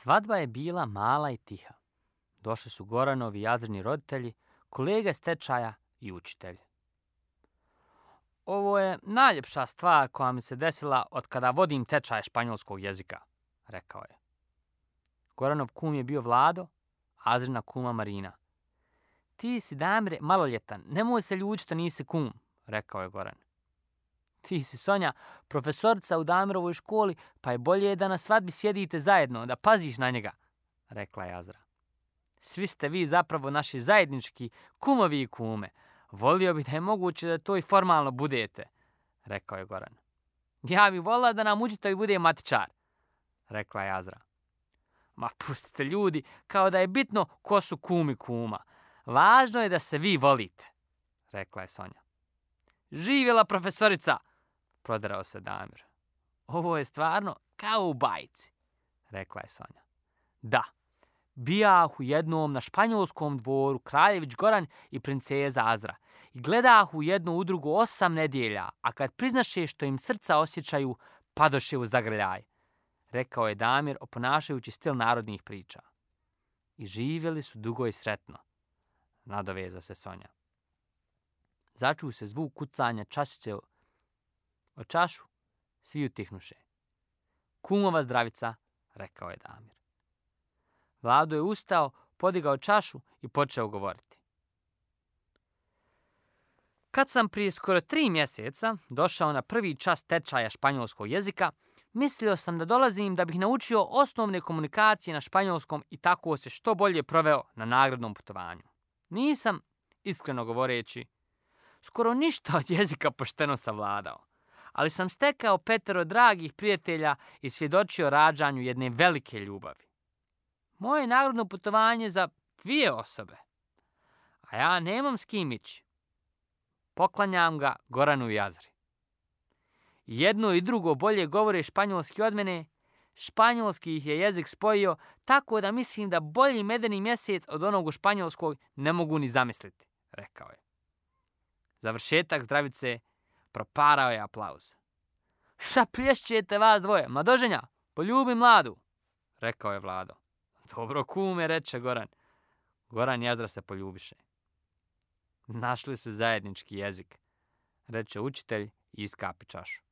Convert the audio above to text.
Svadba je bila mala i tiha. Došli su Goranovi i Azrini roditelji, kolege s tečaja i učitelji. Ovo je najljepša stvar koja mi se desila od kada vodim tečaj španjolskog jezika, rekao je. Goranov kum je bio Vlado, Azrina kuma Marina. Ti si, Damire, maloljetan, nemoj se ljući što nisi kum, rekao je Goran. Ti si, Sonja, profesorica u Damirovoj školi, pa je bolje da na svadbi sjedite zajedno, da paziš na njega, rekla je Azra. Svi ste vi zapravo naši zajednički kumovi i kume. Volio bih da je moguće da to i formalno budete, rekao je Goran. Ja bih volila da nam učitelj bude matičar, rekla je Azra. Ma pustite ljudi, kao da je bitno ko su kum i kuma. Važno je da se vi volite, rekla je Sonja. Živjela profesorica, proderao se Damir. Ovo je stvarno kao u bajci, rekla je Sonja. Da, bijahu jednom na španjolskom dvoru kraljević Goran i princeza Azra i gledahu jednu udrugu 8 nedjelja, a kad priznaše što im srca osjećaju, padoše u zagrljaj, rekao je Damir oponašajući stil narodnih priča. I živjeli su dugo i sretno, nadoveza se Sonja. Začuo se zvuk kucanja čašice o čašu, svi utihnuše. Kumova zdravica, rekao je Damir. Vlado je ustao, podigao čašu i počeo govoriti. Kad sam prije skoro 3 mjeseca došao na prvi čas tečaja španjolskog jezika, mislio sam da dolazim da bih naučio osnovne komunikacije na španjolskom i tako se što bolje proveo na nagradnom putovanju. Nisam, iskreno govoreći, skoro ništa od jezika pošteno savladao, ali sam stekao 5 dragih prijatelja i svjedočio rađanju jedne velike ljubavi. Moje nagradno putovanje za 2 osobe, a ja nemam s kim ići. Poklanjam ga Goranu i Azri. Jedno i drugo bolje govore španjolski od mene, španjolski ih je jezik spojio, tako da mislim da bolji medeni mjesec od onog u španjolskog ne mogu ni zamisliti, rekao je. Završetak zdravice proparao je aplauz. Šta plješćete vas dvoje, mladoženja, poljubi mladu, rekao je Vlado. Dobro kume, reče Goran. Goran i Azra se poljubiše. Našli su zajednički jezik, reče učitelj i iskapi čašu.